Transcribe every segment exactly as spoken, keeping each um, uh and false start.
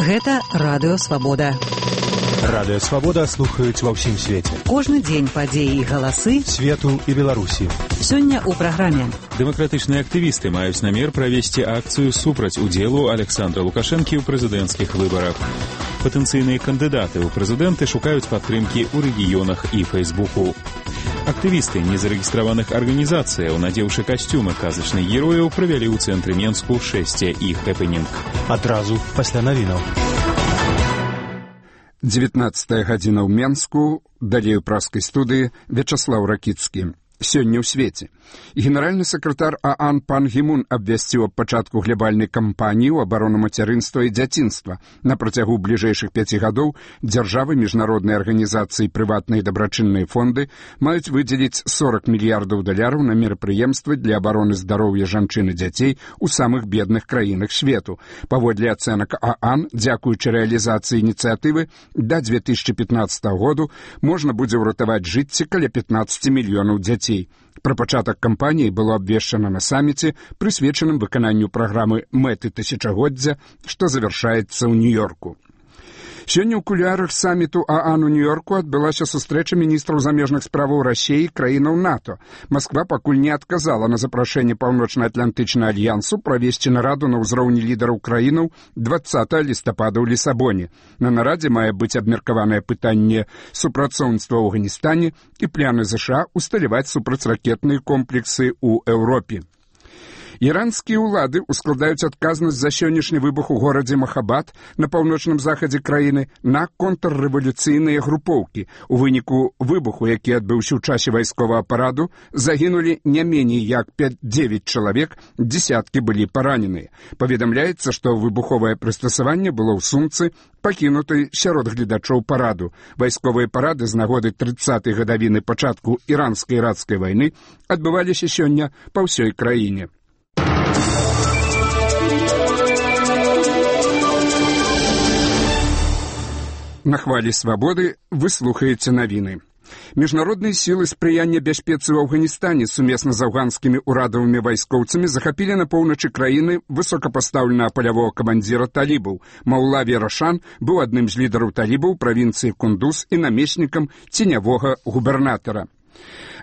Гэта Радыё Свабода. Радыё Свабода слухаюць ва ўсім свеце. Кожны дзень падзеі і галасы свету і Беларусі. Сёння ў праграме. Дэмакратычныя актывісты маюць намер правесці акцыю супраць удзелу Александра Лукашэнкі ў прэзідэнцкіх выбарах. Патэнцыйныя кандыдаты ў прэзідэнты шукаюць падтрымкі ў рэгіёнах і Фэйсбуку. Актывісты незарэгістраваных арганізацыяў, надзеўшы касцюмы казачных герояў, правялі ў цэнтры Менску шэсце і хэпэнінг. Адразу пасля навінаў. дзевятнаццатая гадзіна ў Менску, далей у праскай студыі Вячаслаў Ракіцкі. Сёння ў свеце. Генеральны сакратар ААН пан Гімун абвясціў аб пачатку глябальнай кампаніі ў абарону мацярынства і дзяцінства. На працягу бліжэйшых пяці гадоў дзяржавы, міжнародныя арганізацыі і прыватныя дабрачынныя фонды маюць выдзеліць сорок мільярдаў даляраў на мерапрыемствы для абароны здароўя жанчын і дзяцей у самых бедных краінах свету. Паводле ацэнак ААН, дзякуючы рэалізацыі ініцыятывы, да дзве тысячы пятнаццатага году можна будзе ўратаваць жыцці каля пятнаццаць мільёнаў дзяцей. Пра пачатак кампаніі было абвешчана на саміце, прысвечаным выкананню праграмы «Мэты тысячагоддзя», што завяршаецца ў Нью-Йорку. Сёння ў кулуарах саміту ААН у Нью-Йорку адбылася сустрэча міністраў замежных справаў Расіі і краінаў НАТО. Масква пакуль не адказала на запрашэнне Паўночна-Атлантычнага альянсу правесці нараду на ўзроўні лідараў краінаў дваццатага лістапада ў Лісабоне. На нарадзе мае быць абмеркаванае пытанне супрацоўніцтва ў Афганістане і планы ЗША усталяваць супрацьракетныя комплексы ў Еўропе. Іранскія ўлады ускладаюць адказнасць за сённяшні выбух у горадзе Махабад на паўночным захадзе краіны на контррэвалюцыйныя групоўкі. У выніку выбуху, які адбыўся ў часе вайсковага параду, загінулі не меней як пяць-дзевяць чалавек, дзесяткі былі параненыя. Паведамляецца, што выбуховае прыстасаванне было ў сумцы, пакінутай сярод гледачоў параду. Вайсковыя парады з нагоды трыццатай гадавіны пачатку іранска-іракскай вайны адбываліся сёння па ўсёй краіне. На хвалі свабоды вы слухаеце навіны. Міжнародныя сілы спрыяння бяспецы ў Афганістане сумесна з афганскімі ўрадавымі вайскоўцамі захапілі на поўначы краіны высокапастаўленага палявога камандзіра талібаў. Маулави Рашан быў адным з лідараў талібаў правінцыі Кундуз і намеснікам ценявога губернатара.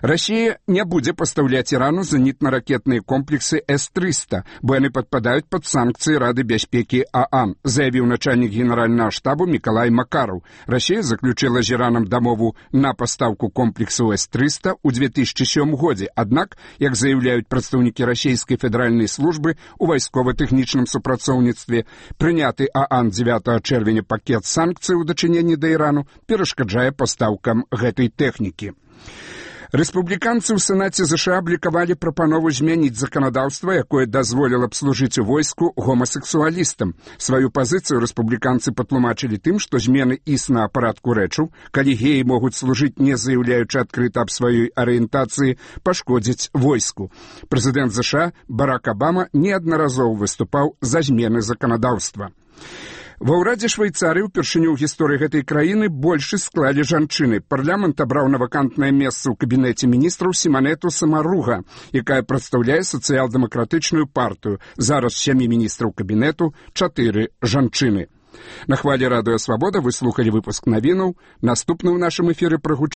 Расія не будзе пастаўляць Ірану зенітна-ракетныя комплексы эс трыста, бо яны падпадаюць пад санкцыі Рады бяспекі ААН, заявіў начальнік генеральнага штабу Мікалай Макараў. Расія заключила з Іранам дамову на пастаўку комплексу эс трыста ў дзве тысячы сёмым годзе. Аднак, як заяўляюць прадстаўнікі расійскай федэральнай службы ў вайскова-тэхнічным супрацоўніцтве, прыняты ААН дзевятага чэрвеня пакет санкцый у дачыненні да Ірану перашкаджае пастаўкам гэтай тэхнікі. Рэспубліканцы ў Сенаце ЗША аблікавалі прапанову змяніць заканадаўства, якое дазволіла б служыць у войску гомасексуалістам. Сваю пазіцыю рэспубліканцы патлумачылі тым, што змены існага парадку рэчаў, калі геі могуць служыць, не заяўляючы адкрыта аб сваёй арыентацыі, пашкодзіць войску. Прэзідэнт ЗША Барак Абама неаднаразова выступаў за змены заканадаўства. Ва ўрадзе Швейцарыі ўпершыню ў гісторыі гэтай краіны большасць склалі жанчыны. Парламент абраў на вакантнае месца ў кабінеце міністраў Сіманету Самаруга, якая прадстаўляе сацыял-дэмакратычную партыю. Зараз сямі міністраў кабінету, чатыры жанчыны. На хвалі Радыё Свабода вы слухалі выпуск навінаў. Наступны ў нашым эфіры прагучыць